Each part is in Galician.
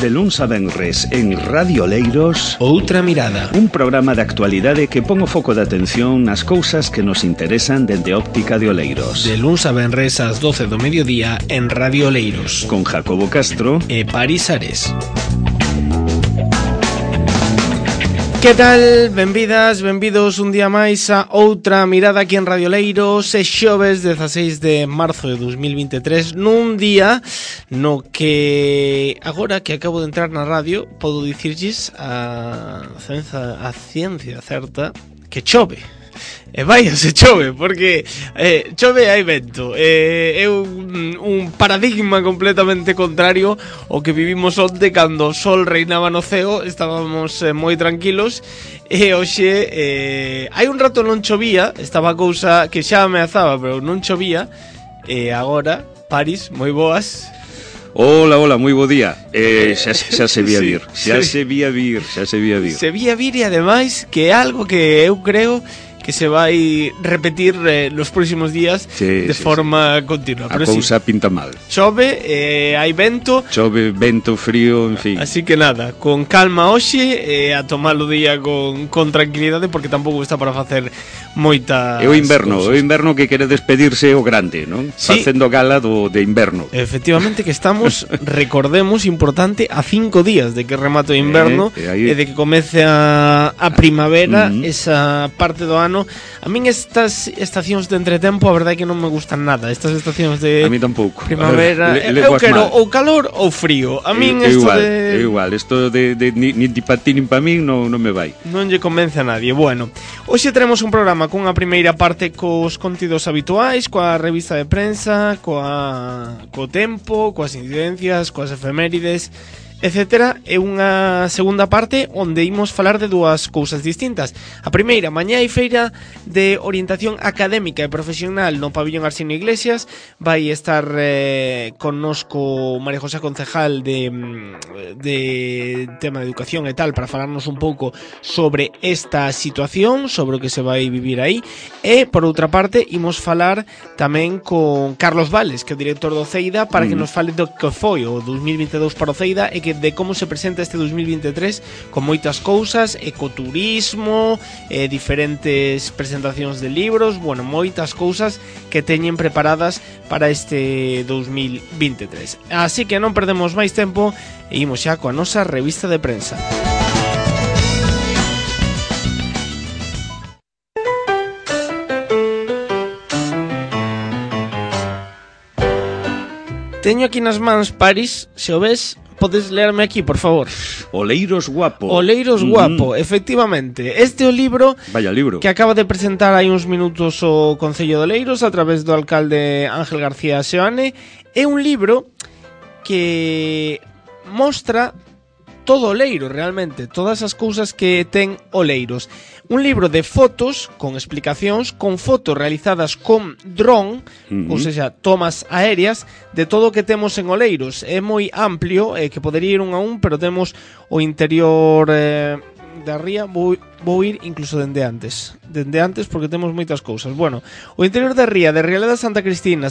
De luns a venres en Radio Oleiros, Outra Mirada, un programa de actualidade que pon o foco de atención nas cousas que nos interesan dende a óptica de Oleiros. de luns a venres ás 12 do mediodía en Radio Oleiros, Con Jacobo Castro e Paris Ares. Que tal? Benvidas, benvidos un día máis a Outra Mirada aquí en Radio Oleiros. É xoves 16 de marzo de 2023, nun día no que agora que acabo de entrar na radio podo dicirlles a ciencia certa que chove. E vai, se chove, porque chove e hai vento. É un paradigma completamente contrario ao que vivimos onte cando o sol reinaba no ceo. Estábamos moi tranquilos. E hoxe hai un rato non chovía, estaba a cousa que xa ameazaba, pero non chovía. E agora, Paris, moi boas. Hola, moi bo día. Xa se vía vir. Xa se vía vir. Se vía vir e ademais que é algo que eu creo que se vai repetir nos próximos días de forma continua. A cousa pinta mal. Chove, hai vento. Chove, vento, frío, en fin. Así que nada, con calma hoxe, a tomar o día con tranquilidade, porque tampouco está para facer moita. É o inverno que quere despedirse o grande, non? Sí. Facendo gala de inverno. Efectivamente que estamos, recordemos, importante, a 5 días de que remate o inverno e de que comece a primavera, esa parte do ano. A min estas estacións de entretempo a verdade é que non me gustan nada. Estas estacións de a mí tampouco. Primavera, eu quero ou calor ou frío. A min isto é igual, isto de nin para ti nin para min non me vai. Non lle convence a nadie. Bueno, hoxe teremos un programa cunha primeira parte cos contidos habituais, coa revista de prensa, co tempo, coas incidencias, coas efemérides, etcétera, e unha segunda parte onde imos falar de dúas cousas distintas. A primeira, mañá hai feira de orientación académica e profesional no pabillón Arsenio Iglesias. Vai estar connosco María José Concejal de tema de educación e tal, para falarnos un pouco sobre esta situación, sobre o que se vai vivir aí. E, por outra parte, imos falar tamén con Carlos Vales, que é o director do CEIDA, para que nos fale do que foi o 2022 para o CEIDA e de como se presenta este 2023, con moitas cousas, ecoturismo, diferentes presentacións de libros, bueno, moitas cousas que teñen preparadas para este 2023. Así que non perdemos máis tempo e imos xa coa nosa revista de prensa. Teño aquí nas mans, Paris, se o ves, podes leerme aquí, por favor. Oleiros Guapo. Oleiros Guapo, efectivamente. Este é o libro, vaya libro, que acaba de presentar hai uns minutos o Concello de Oleiros a través do alcalde Ángel García Seoane. É un libro que mostra todo Oleiros, realmente, todas as cousas que ten Oleiros. Un libro de fotos con explicacións, con fotos realizadas con dron, ou seja, tomas aéreas de todo o que temos en Oleiros. É moi amplio, que podería ir un a un, pero temos o interior da ría. Vou ir incluso dende antes, porque temos moitas cousas. Bueno, o interior da ría de Rialeda Santa Cristina,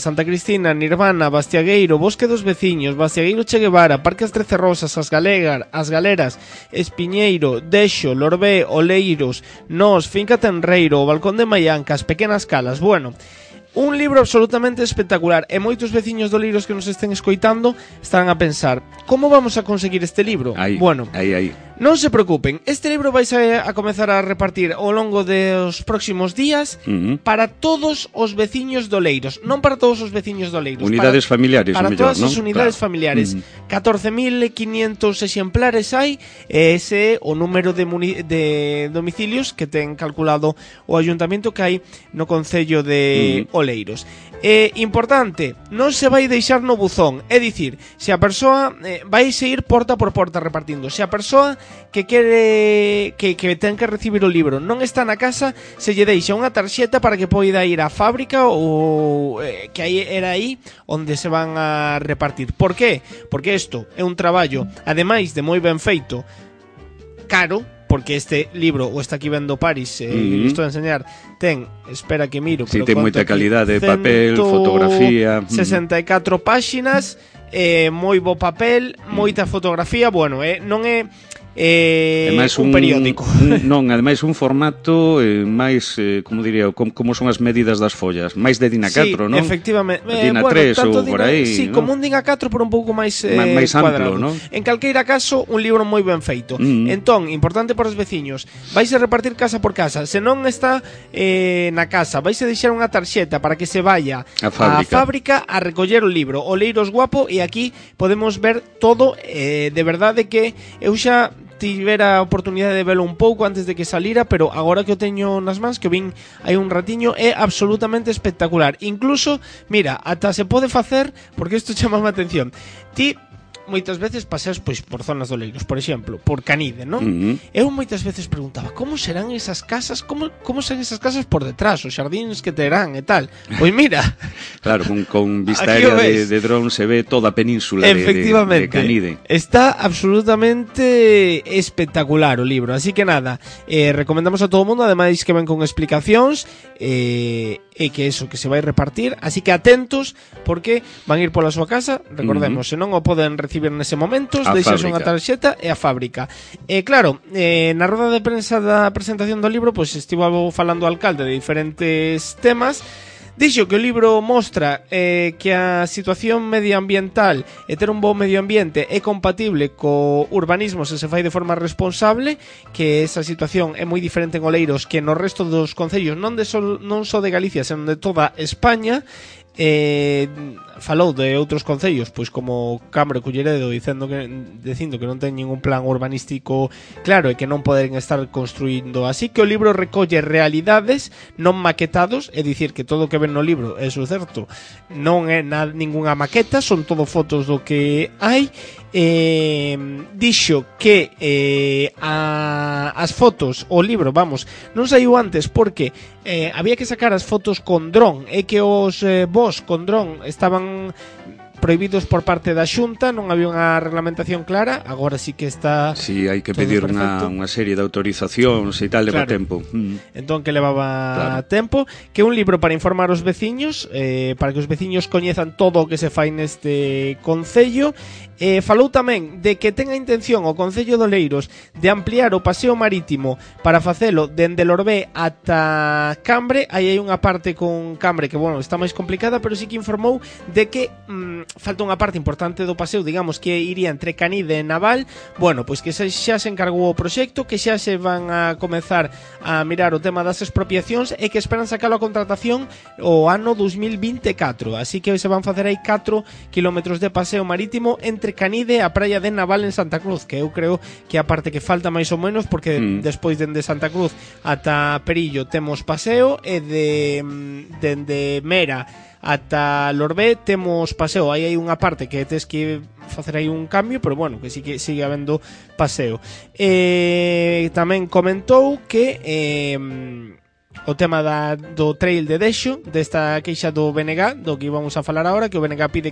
Nirvana, Bastiagueiro, Bosque dos Veciños, Bastiagueiro Che Guevara, Parque As Trece Rosas, As Galeras, Espiñeiro, Dexo, Lorbé, Oleiros, Nós, Finca Tenreiro, o Balcón de Maianca, As Pequenas Calas. Bueno, un libro absolutamente espectacular, e moitos veciños de Oleiros que nos estén escoitando estarán a pensar: como vamos a conseguir este libro? Bueno, aí. Non se preocupen, este libro vais a comezar a repartir ao longo dos próximos días para todos os veciños de Oleiros. Non para todos os veciños de Oleiros, unidades familiares, para mellor, todas as unidades familiares. 14.500 exemplares hai, e ese é o número de domicilios que ten calculado o ayuntamento que hai no Concello de Oleiros. Importante, non se vai deixar no buzón, é dicir, se a persoa vai se ir porta por porta repartindo. Se a persoa que quere que ten que recibir o libro non está na casa, se lle deixa unha tarxeta para que poida ir á fábrica ou que era aí onde se van a repartir. Por qué? Porque isto é un traballo, ademais de moi ben feito, caro, porque este libro, o está aquí vendo Paris, isto de enseñar, ten, espera que miro, ten moita calidade de papel, fotografía, 64 páxinas, moi bo papel, moita fotografía, bueno, non é un periódico. Non, ademais un formato máis, como diría, como son as medidas das follas, máis de DIN A4, non? Efectivamente. DIN A3 ou por aí, sí, ¿no? como un DIN A4, pero un pouco máis amplo, non? En calqueira caso, un libro moi ben feito. Entón, importante para os veciños, vais a repartir casa por casa. Se non está na casa, vais a deixar unha tarxeta para que se vaya á fábrica a recoller o libro. O Leiros Guapo, e aquí podemos ver todo, de verdade que eu xa tivera a oportunidade de velo un pouco antes de que salira, pero agora que o teño nas mans, que o vin hai un ratiño, é absolutamente espectacular. Incluso, mira, ata se pode facer, porque isto chama a atención, ti moitas veces paseas pois por zonas do Leiros, por exemplo, por Canide, non? Eu moitas veces preguntaba, como serán esas casas, como serán esas casas por detrás, os xardíns que terán e tal. Pois mira, claro, con vista aérea de dron se ve toda a península de Canide. Está absolutamente espectacular o libro, así que nada, recomendamos a todo o mundo, ademais que ven con explicacións, e que eso, que se vai repartir, así que atentos, porque van ir pola súa casa, recordemos, se non o poden recibir nese momento, deixas unha tarxeta e a fábrica. Claro, na roda de prensa da presentación do libro, pois estivo falando o alcalde de diferentes temas. Dixo que o libro mostra que a situación medioambiental e ter un bo medio ambiente é compatible co urbanismo se fai de forma responsable, que esa situación é moi diferente en Oleiros que no resto dos concellos non só de Galicia, senón de toda España. Falou de outros concellos, pois como Cambre, Culleredo, dicindo que non ten ningún plan urbanístico claro e que non poden estar construindo. Así que o libro recolle realidades non maquetados, é dicir que todo o que ven no libro, é certo, non é ningunha maqueta, son todo fotos do que hai. Dixo que as fotos, o libro, vamos, non saiu antes porque había que sacar as fotos con dron, e que os vos con dron estaban prohibidos por parte da Xunta, non había unha reglamentación clara, agora sí que está. Sí, hai que pedir unha serie de autorizacións e tal, leva tempo. Entón que levaba tempo, que un libro para informar os veciños, para que os veciños coñezan todo o que se fai neste concello. Falou tamén de que ten a intención o Concello de Oleiros de ampliar o paseo marítimo para facelo dende Lorbé ata Cambre. Aí hai unha parte con Cambre que, bueno, está máis complicada, pero sí que informou de que falta unha parte importante do paseo, digamos, que iría entre Canide e Naval. Bueno, pois que xa se encargou o proxecto, que xa se van a comezar a mirar o tema das expropiacións e que esperan sacalo a contratación o ano 2024. Así que se van facer aí 4 kilómetros de paseo marítimo entre Canide e a praia de Naval en Santa Cruz, que eu creo que a parte que falta máis ou menos, porque despois dende Santa Cruz ata Perillo temos paseo, e dende Mera ata Lorbé temos paseo. Aí hai unha parte que tes que facer aí un cambio, pero bueno, que sí que sigue habendo paseo. Tamén comentou que o tema do trail de Dexo, desta queixa do BNG, do que íbamos a falar agora, que o BNG pide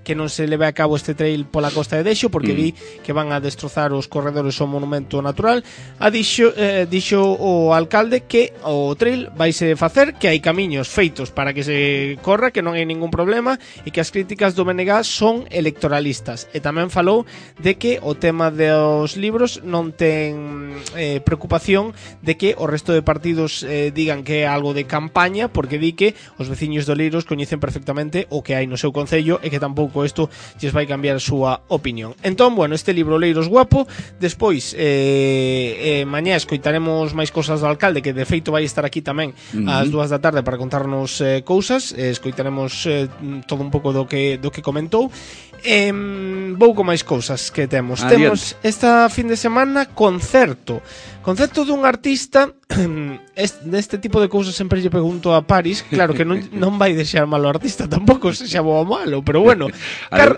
que non se leve a cabo este trail pola costa de Dexo, porque di que van a destrozar os corredores ao monumento natural. Dixo o alcalde que o trail vaise facer, que hai camiños feitos para que se corra, que non hai ningún problema, e que as críticas do BNG son electoralistas. E tamén falou de que o tema dos libros non ten preocupación de que o resto de partidos digan que é algo de campaña, porque di que os veciños de Oleiros coñecen perfectamente o que hai no seu concello e que tampouco isto lles vai cambiar a súa opinión. Entón, bueno, este libro Oleiros Guapo. Despois mañá escoitaremos máis cousas do alcalde, que de feito vai estar aquí tamén ás 2 da tarde para contarnos cousas. Escoitaremos todo un pouco do que comentou. Pouco máis cousas que temos. Temos esta fin de semana concerto dun artista. Deste tipo de cousas sempre lle pregunto a Paris. Claro que non vai deixar malo o artista, tampouco se xa bo ou malo, pero bueno.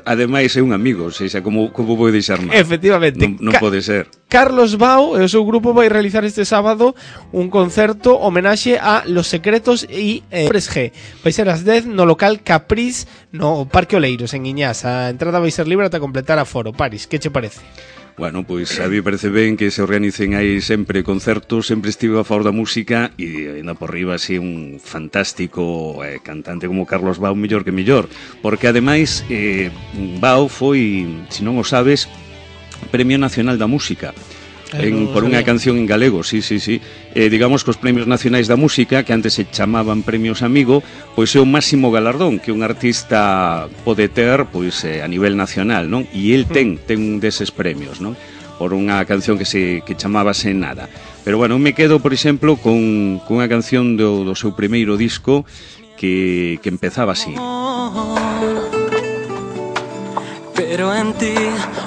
Ademais é un amigo, sexa, como vou deixar mal? Efectivamente. Non pode ser. Carlos Bao e o seu grupo vai realizar este sábado un concerto homenaxe a Los Secretos e Hombres G. Vai ser ás 10 no local Capriz, no Parque Oleiros, en Iñás. A entrada vai ser libre ata completar aforo. Paris, que che parece? Bueno, pois a mí parece ben que se organicen aí sempre concertos, sempre estive a favor da música e ainda por riba así un fantástico cantante como Carlos Bau, mellor que mellor, porque ademais Bau foi, se non o sabes, Premio Nacional da Música. Por unha canción en galego, sí. Digamos que os premios nacionais da música, que antes se chamaban premios Amigo, pois é o máximo galardón que un artista pode ter pois a nivel nacional, non? E el ten un deses premios, non? Por unha canción que chamaba Sen Nada. Pero bueno, me quedo, por exemplo, con unha canción do seu primeiro disco que empezaba así. Pero en ti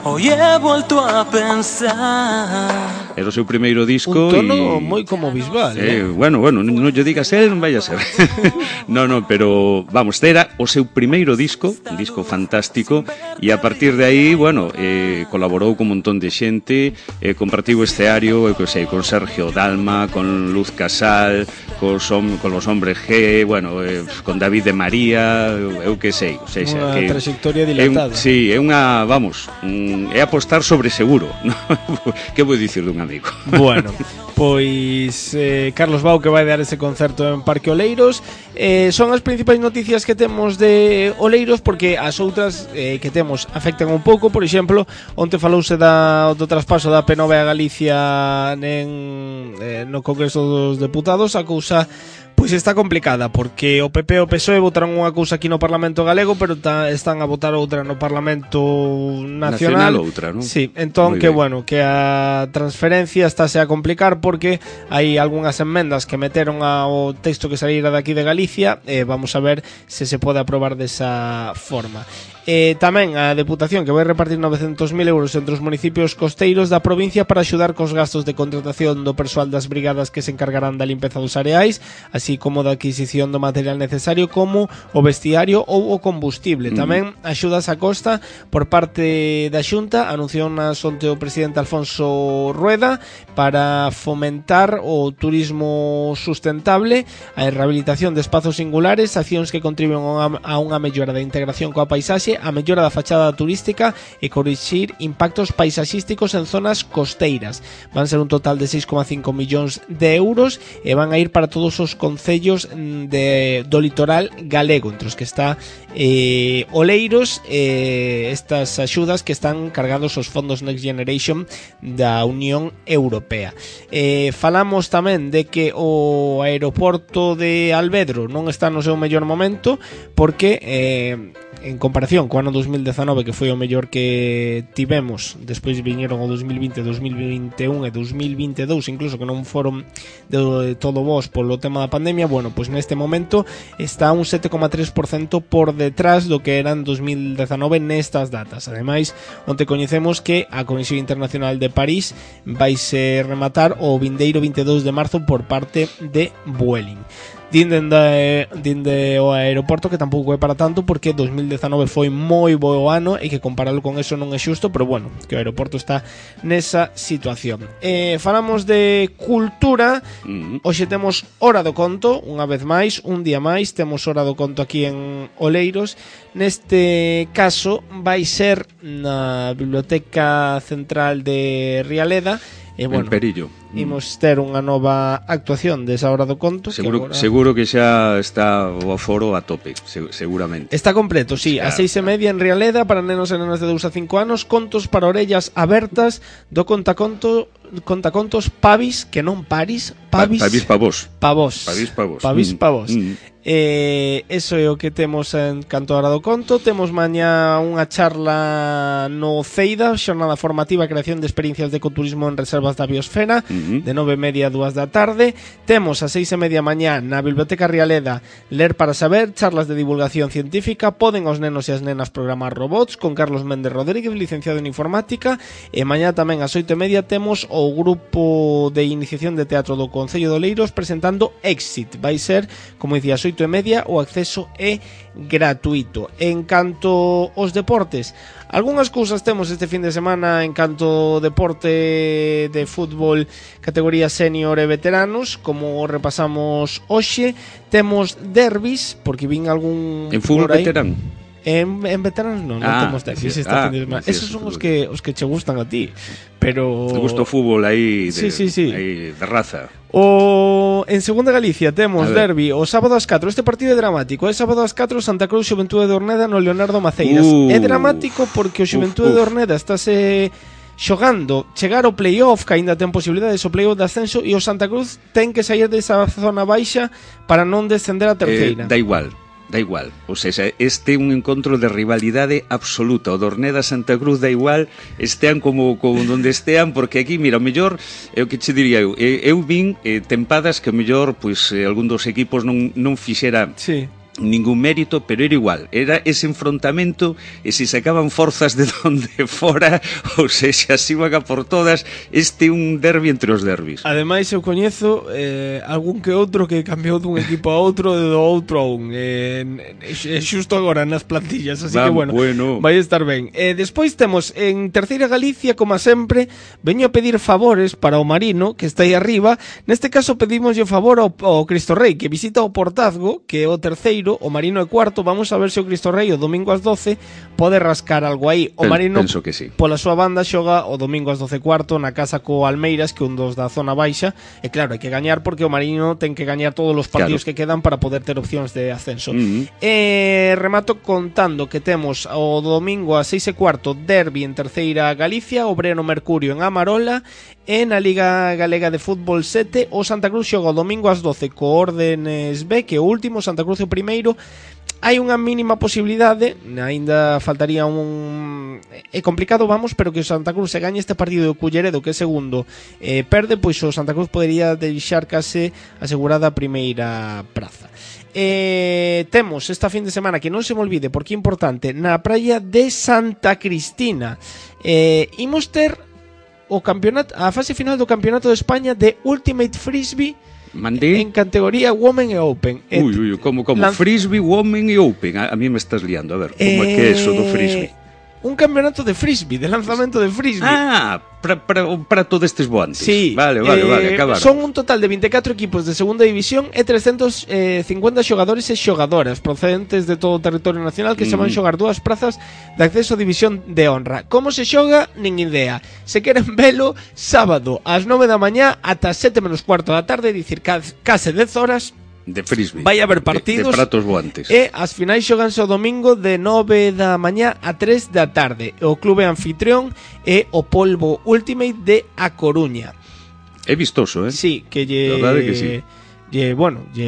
hoy he vuelto a pensar. Era o seu primeiro disco. Un tono moi como Bisbal, Bueno, non lle digas él, non vai a ser. No, pero vamos, era o seu primeiro disco, un disco fantástico, e a partir de aí, bueno, colaborou con un montón de xente, compartiu escenario, con Sergio Dalma, con Luz Casal, con los Hombres G, bueno, con David de María, eu que sei, unha trayectoria dilatada. Sí, é unha, vamos, é apostar sobre seguro, ¿no? Que vou dicir dun amigo? Bueno, pois Carlos Bau, que vai dar ese concerto en Parque Oleiros. Son as principais noticias que temos de Oleiros, porque as outras que temos afectan un pouco. Por exemplo, onte falouse do traspaso da P9 a Galicia no Congreso dos Deputados. A cousa pois está complicada, porque o PP e o PSOE votaron unha cousa aquí no Parlamento Galego, pero están a votar outra no Parlamento Nacional outra, non? Sí, entón que bueno, que a transferencia estáse a complicar, porque hai algunhas enmendas que meteron ao texto que saíra de aquí de Galicia, vamos a ver se pode aprobar desa forma. Tamén a Deputación, que vai repartir 900.000 euros entre os municipios costeiros da provincia para axudar cos gastos de contratación do persoal das brigadas que se encargarán da limpeza dos areais, así como da adquisición do material necesario como o vestiario ou o combustible. Tamén axudas a costa por parte da Xunta, anunciou onte o presidente Alfonso Rueda, para fomentar o turismo sustentable, a rehabilitación de espazos singulares, accións que contribuen a unha mellora da integración coa paisaxe, a mellora da fachada turística e corrixir impactos paisaxísticos en zonas costeiras. Van ser un total de 6,5 millóns de euros e van a ir para todos os concellos do litoral galego, entre os que está Oleiros, estas axudas que están cargados os fondos Next Generation da Unión Europea. Falamos tamén de que o aeroporto de Alvedro non está no seu mellor momento, porque en comparación co ano 2019, que foi o mellor que tivemos, despois viñeron o 2020, 2021 e 2022, incluso que non foron de todo vos polo tema da pandemia. Bueno, pois neste momento está un 7,3% por detrás do que era en 2019 nestas datas. Ademais, onte coñecemos que a Conexión Internacional de París vaise rematar o vindeiro 22 de marzo por parte de Vueling. Dinde o aeroporto que tampouco é para tanto, porque 2019 foi moi bo ano e que compararlo con eso non é xusto, pero bueno, que o aeroporto está nesa situación. Falamos de cultura. Hoxe temos Hora do Conto, unha vez máis, un día máis temos Hora do Conto aquí en Oleiros. Neste caso vai ser na Biblioteca Central de Rialeda. Bueno, en Perillo. Imos ter unha nova actuación desa Hora do Conto. Seguro que xa está o aforo a tope, seguramente. Está completo, sí, claro, a 6:30 en Rialeda para nenos e nenas de 2 a 5 anos, contos para orellas abertas do contacontos Pavis, que non Paris, Pavis pa vos. Pavis pa vos. Eso é o que temos en canto a Hora do Conto. Temos mañá unha charla no CEIDA, xornada formativa e creación de experiencias de ecoturismo en reservas da biosfera, de 9:30 a 2 da tarde. Temos a 6:30 mañá na Biblioteca Rialeda Ler para Saber, charlas de divulgación científica. Poden os nenos e as nenas programar robots, con Carlos Méndez Rodríguez, licenciado en informática. E mañá tamén ás 8:30 temos o grupo de iniciación de teatro do Concello de Oleiros presentando Exit. Vai ser, como dicía, ás 8:30, o acceso é gratuito. En canto aos deportes, algunhas cousas temos este fin de semana en canto deporte de fútbol categoría senior e veteranos, como repasamos hoxe. Temos derbis, porque vin algún en fútbol veterano. En veteranos non temos derbis esta fin de semana. Esos son os que che gustan a ti. Pero te gusta o fútbol aí sí. Aí de raza. En segunda Galicia temos derbi o sábado ás 4. Este partido é dramático. É sábado ás 4 Santa Cruz Xuventude de Orneda no Leonardo Maceiras. É dramático porque o Xuventude de Orneda estáse xogando chegar ao playoff, que aínda ten posibilidades o playoff de ascenso, e o Santa Cruz ten que sair desa zona baixa para non descender a terceira. Da igual. O sea, este é un encontro de rivalidade absoluta. O Dorneda Santa Cruz da igual, estean como donde estean, porque aquí, mira, o mellor é o que che diría eu vin tempadas que o mellor pois algún dos equipos non fixera ningún mérito, pero era igual, era ese enfrontamento, e se sacaban forzas de donde fora, ou seja, se iban a por todas. Este é un derbi entre os derbis. Ademais, eu coñezo algún que outro que cambiou dun equipo a outro, do outro a un, xusto agora nas plantillas, así que bueno, vai estar ben. Despois temos en terceira Galicia, como sempre, veño a pedir favores para o Marino, que está aí arriba. Neste caso pedimos o favor ao Cristo Rei, que visita o Portazgo, que é o terceiro, o Marino é cuarto. Vamos a ver se o Cristo Rei o domingo ás 12 pode rascar algo aí. O Marino, penso que sí, pola súa banda xoga o domingo ás 12 cuarto na casa co Almeiras, que é un dos da zona baixa, e claro, hai que gañar porque o Marino ten que gañar todos os partidos que quedan para poder ter opcións de ascenso. Remato contando que temos o domingo ás 6 e cuarto derbi en terceira Galicia, Obrero Mercurio en Amarola, e na Liga Galega de Fútbol 7 o Santa Cruz xoga o domingo ás 12 co Órdenes B, que é o último, Santa Cruz é o primeiro. Hai unha mínima posibilidade, aínda faltaría é complicado, pero que o Santa Cruz se gañe este partido do Culleredo, que é segundo, perde, pois o Santa Cruz podería deixar case asegurada a primeira praza. Temos esta fin de semana, que non se me olvide porque é importante, na praia de Santa Cristina imos ter o campeonato, a fase final do Campeonato de España de Ultimate Frisbee. Mandé en categoría Women e Open. Como Frisbee, Women e Open. A mí me estás liando, a ver, como é que é eso do Frisbee? Un campeonato de Frisbee, de lanzamento de Frisbee. Para todos estes boantes. Sí. Vale, acabar. Son un total de 24 equipos de segunda división e 350 xogadores e xogadoras procedentes de todo o territorio nacional que se van xogar dúas prazas de acceso a división de honra. Como se xoga? Nin idea. Se queren velo, sábado ás 9 da mañá ata 7 menos cuarto da tarde, dicir case 10 horas de Frisbee. Vai haber partidos de pratos voantes. E as finais xoganse o domingo de 9 da mañá a 3 da tarde. O clube anfitrión é o Polvo Ultimate de A Coruña. É vistoso, Sí, que lle... La verdade que sí. Lle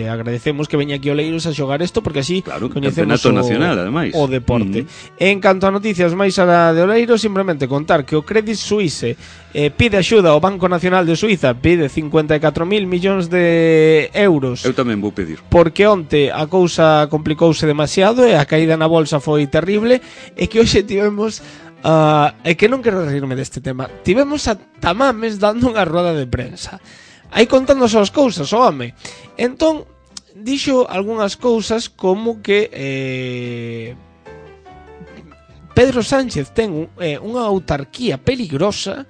agradecemos que veña aquí Oleiros a xogar isto, porque así coñecemos nacional, ademais, o deporte. En canto a noticias máis a de Oleiros, simplemente contar que o Credit Suisse pide axuda ao Banco Nacional de Suiza, pide 54.000 millóns de euros. Eu tamén vou pedir. Porque onte a cousa complicouse demasiado e a caída na bolsa foi terrible, e que hoxe tivemos é que non quero rirme deste tema. Tivemos a Tamames dando unha roda de prensa aí contándose as cousas, o home. Entón, dixo algunhas cousas como que Pedro Sánchez ten unha autarquía peligrosa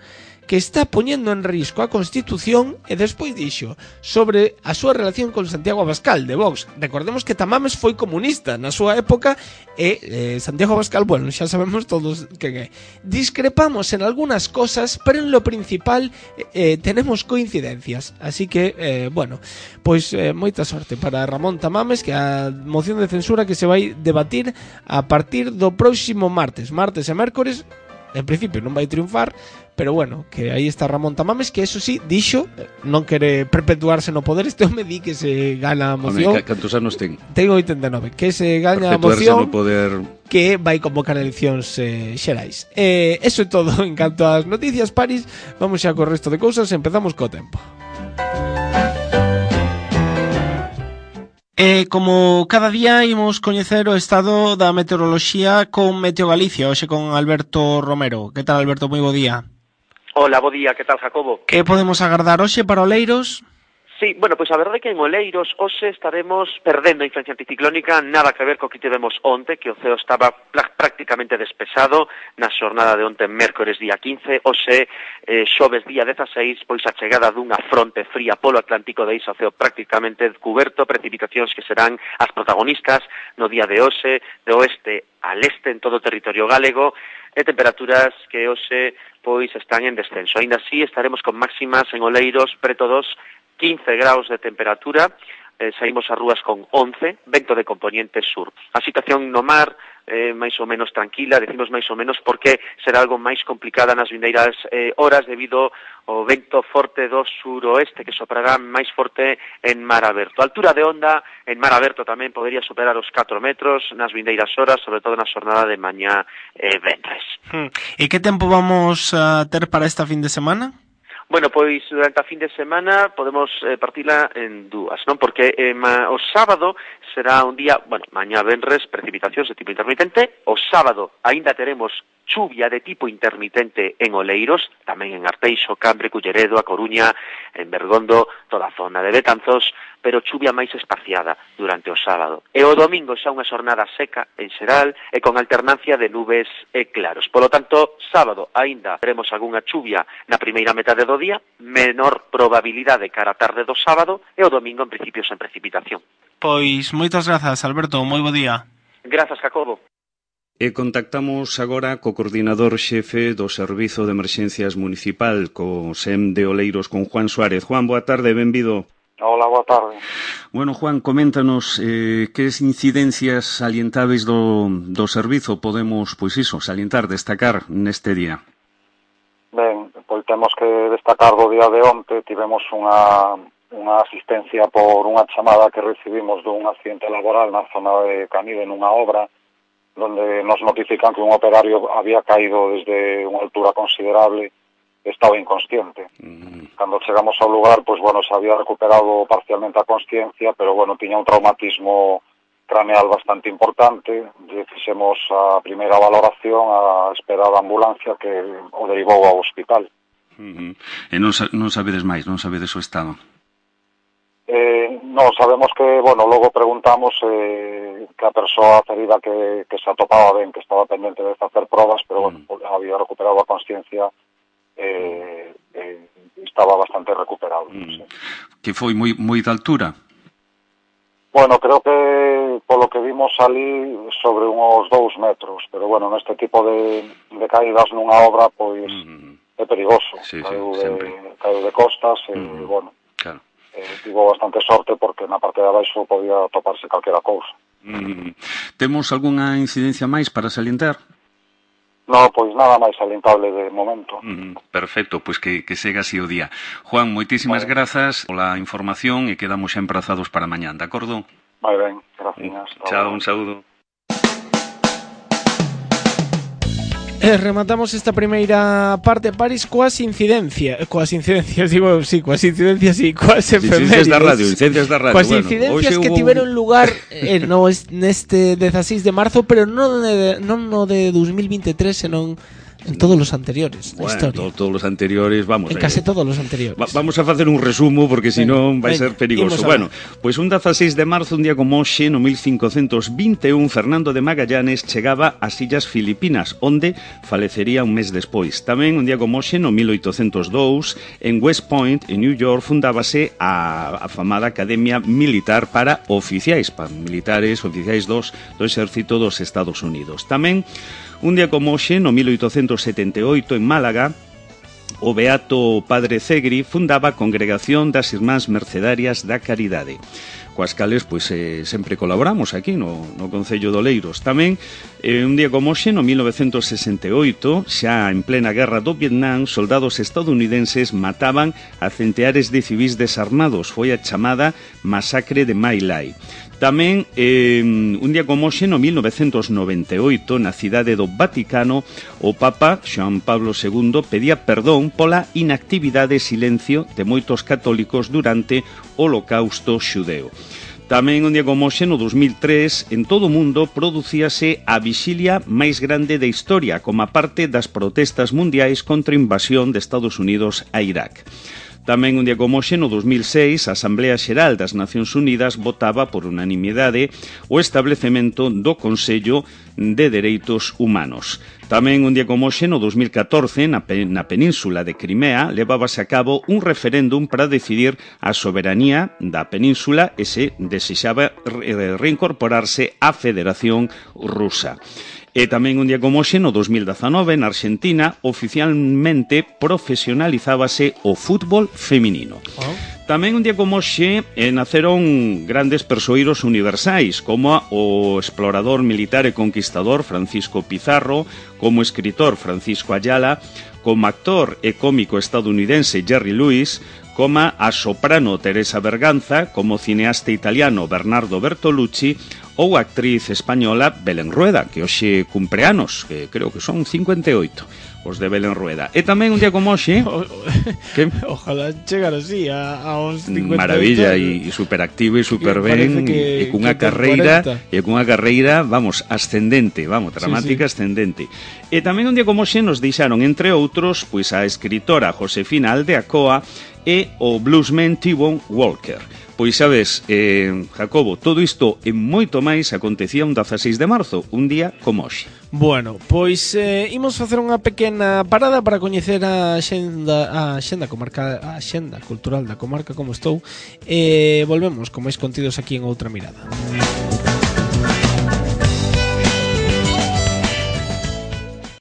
que está poñendo en risco a Constitución, e despois dixo sobre a súa relación con Santiago Abascal de Vox. Recordemos que Tamames foi comunista na súa época e Santiago Abascal, bueno, xa sabemos todos que discrepamos en algunas cosas, pero en lo principal tenemos coincidencias. Así que, bueno, pois moita sorte para Ramón Tamames, que a moción de censura que se vai debatir a partir do próximo martes e mércores, en principio non vai triunfar, pero bueno, que aí está Ramón Tamames, que eso sí, dixo, non quere perpetuarse no poder. Este home di que se gana a moción. Cantos anos ten? Ten 89, que se gana a moción, no poder, que vai convocar eleccións xerais. Eso é todo en canto ás noticias, Paris. Vamos xa co resto de cousas, empezamos co tempo. Como cada día imos coñecer o estado da meteoroloxía con Meteo Galicia, hoxe con Alberto Romero. Que tal, Alberto? Moi bo día. Hola, bo día, que tal, Jacobo? Que podemos agardar hoxe para Oleiros? Sí, bueno, pois a verdade é que en Oleiros hoxe estaremos perdendo a influencia anticiclónica, nada que ver co que tivemos onte, que o ceo estaba prácticamente despexado na xornada de onte, mércores día 15, hoxe xoves día 16, pois a chegada dunha fronte fría polo Atlántico deixa o ceo prácticamente cuberto, precipitacións que serán as protagonistas no día de hoxe, de oeste al este en todo o territorio galego, e temperaturas que hoxe pois están en descenso. Ainda así estaremos con máximas en Oleiros preto dos 15 graus de temperatura, saímos ás rúas con 11, vento de componente sur. A situación no mar, máis ou menos tranquila, decimos máis ou menos porque será algo máis complicada nas vindeiras horas debido ao vento forte do suroeste que soprará máis forte en mar aberto. A altura de onda en mar aberto tamén podería superar os 4 metros nas vindeiras horas, sobre todo na xornada de mañá venres. E que tempo vamos a ter para esta fin de semana? Bueno, pois durante a fin de semana podemos partila en dúas, non? Porque o sábado será un día, bueno, mañá venres, precipitacións de tipo intermitente, o sábado aínda teremos chuvia de tipo intermitente en Oleiros, tamén en Arteixo, Cambre, Culleredo, A Coruña, en Bergondo, toda a zona de Betanzos, pero chuvia máis espaciada durante o sábado. E o domingo xa unha xornada seca en xeral e con alternancia de nubes e claros. Polo tanto, sábado aínda teremos algunha chuvia na primeira metade do día, menor probabilidade cara a tarde do sábado e o domingo en principio sen precipitación. Pois moitas grazas, Alberto, moi bo día. Grazas, Jacobo. E contactamos agora co coordinador xefe do Servizo de Emerxencias Municipal, co SEM de Oleiros, con Juan Suárez. Juan, boa tarde, benvido. Hola, boa tarde. Bueno, Juan, coméntanos que incidencias salientáveis do servizo podemos, pois iso, salientar, destacar neste día. Ben, pois temos que destacar do día de onte, tivemos unha asistencia por unha chamada que recibimos dun accidente laboral na zona de Canive nunha obra, donde nos notifican que un operario había caído desde unha altura considerable e estaba inconsciente. Cando chegamos ao lugar, pois, bueno, se había recuperado parcialmente a consciencia, pero, bueno, tiña un traumatismo craneal bastante importante. Lle fixemos a primeira valoración a espera da ambulancia que o derivou ao hospital. E non sabedes máis, non sabedes o estado? Non, sabemos que, bueno, logo preguntamos que a persoa ferida que se atopaba ben, que estaba pendente de facer probas, pero, bueno, había recuperado a consciencia estaba bastante recuperado. Sí. Que foi moi de altura? Bueno, creo que polo que vimos ali sobre unos 2 metros, pero bueno, neste tipo de caídas nunha obra, pois é perigoso. Sí, caiu de costas e, bueno, claro. Tivo bastante sorte porque na parte de abaixo podía toparse calquera cousa. Temos algunha incidencia máis para salientar? No, pois nada máis salientable de momento. Perfecto, pois que sega así o día. Juan, moitísimas grazas pola información e quedamos xa emprazados para mañán, de acordo? Moi ben, gracias. Chao, un saúdo. Rematamos esta primeira parte, Paris, coas incidencias, coas efemérides da radio, incidencias da radio. Coas incidencias que tiveron lugar neste 16 de marzo, pero non no de 2023, senón en todos os anteriores da historia. Todos os anteriores, vamos. En case todos os anteriores. Vamos a facer un resumo porque senón vai ser perigoso. Bueno, pois un 16 de marzo, un día como hoxe, no 1521, Fernando de Magallanes chegaba ás Illas Filipinas, onde falecería un mes despois. Tamén un día como hoxe, no 1802, en West Point, en New York, fundábase a afamada Academia Militar para oficiais do exército dos Estados Unidos. Tamén un día como hoxe, no 1878, en Málaga, o beato Padre Cegri fundaba a Congregación das Irmás Mercedarias da Caridade, coas cales pois sempre colaboramos aquí no Concello de Oleiros. Tamén un día como hoxe, no 1968, xa en plena guerra do Vietnam, soldados estadounidenses mataban a centeares de civis desarmados. Foi a chamada Masacre de My Lai. Tamén, un día como hoxe, no 1998, na cidade do Vaticano, o Papa Xoán Pablo II pedía perdón pola inactividade e silencio de moitos católicos durante o Holocausto xudeo. Tamén, un día como hoxe, no 2003, en todo o mundo producíase a vixilia máis grande da historia, como parte das protestas mundiais contra a invasión de Estados Unidos a Irak. Tamén un día como hoxe, no 2006, a Asamblea Xeral das Nacións Unidas votaba por unanimidade o establecemento do Consello de Dereitos Humanos. Tamén un día como hoxe, no 2014, na península de Crimea, levábase a cabo un referéndum para decidir a soberanía da península e se desexaba reincorporarse á Federación Rusa. E tamén un día como hoxe, no 2019, na Argentina, oficialmente profesionalizábase o fútbol feminino. Tamén un día como hoxe naceron grandes persoeiros universais, como o explorador militar e conquistador Francisco Pizarro, como escritor Francisco Ayala, como actor e cómico estadounidense Jerry Lewis, como a soprano Teresa Berganza, como cineasta italiano Bernardo Bertolucci ou a actriz española Belén Rueda, que hoxe cumpre anos, que creo que son 58 os de Belén Rueda. E tamén un día como hoxe que ojalá chegar así aos 58. Maravilla, e superactivo e super ben, e cunha carreira, vamos, ascendente, vamos, dramática, sí. Ascendente. E tamén un día como hoxe nos deixaron, entre outros, pois a escritora Josefina Aldeacoa e o bluesman T-Bone Walker. Pois sabes, Jacobo, todo isto e moito máis acontecía un 16 de marzo, un día como hoxe. Bueno, pois imos facer unha pequena parada para coñecer a axenda comarcal, a axenda cultural da comarca como estou, e volvemos con máis contidos aquí en Outra Mirada.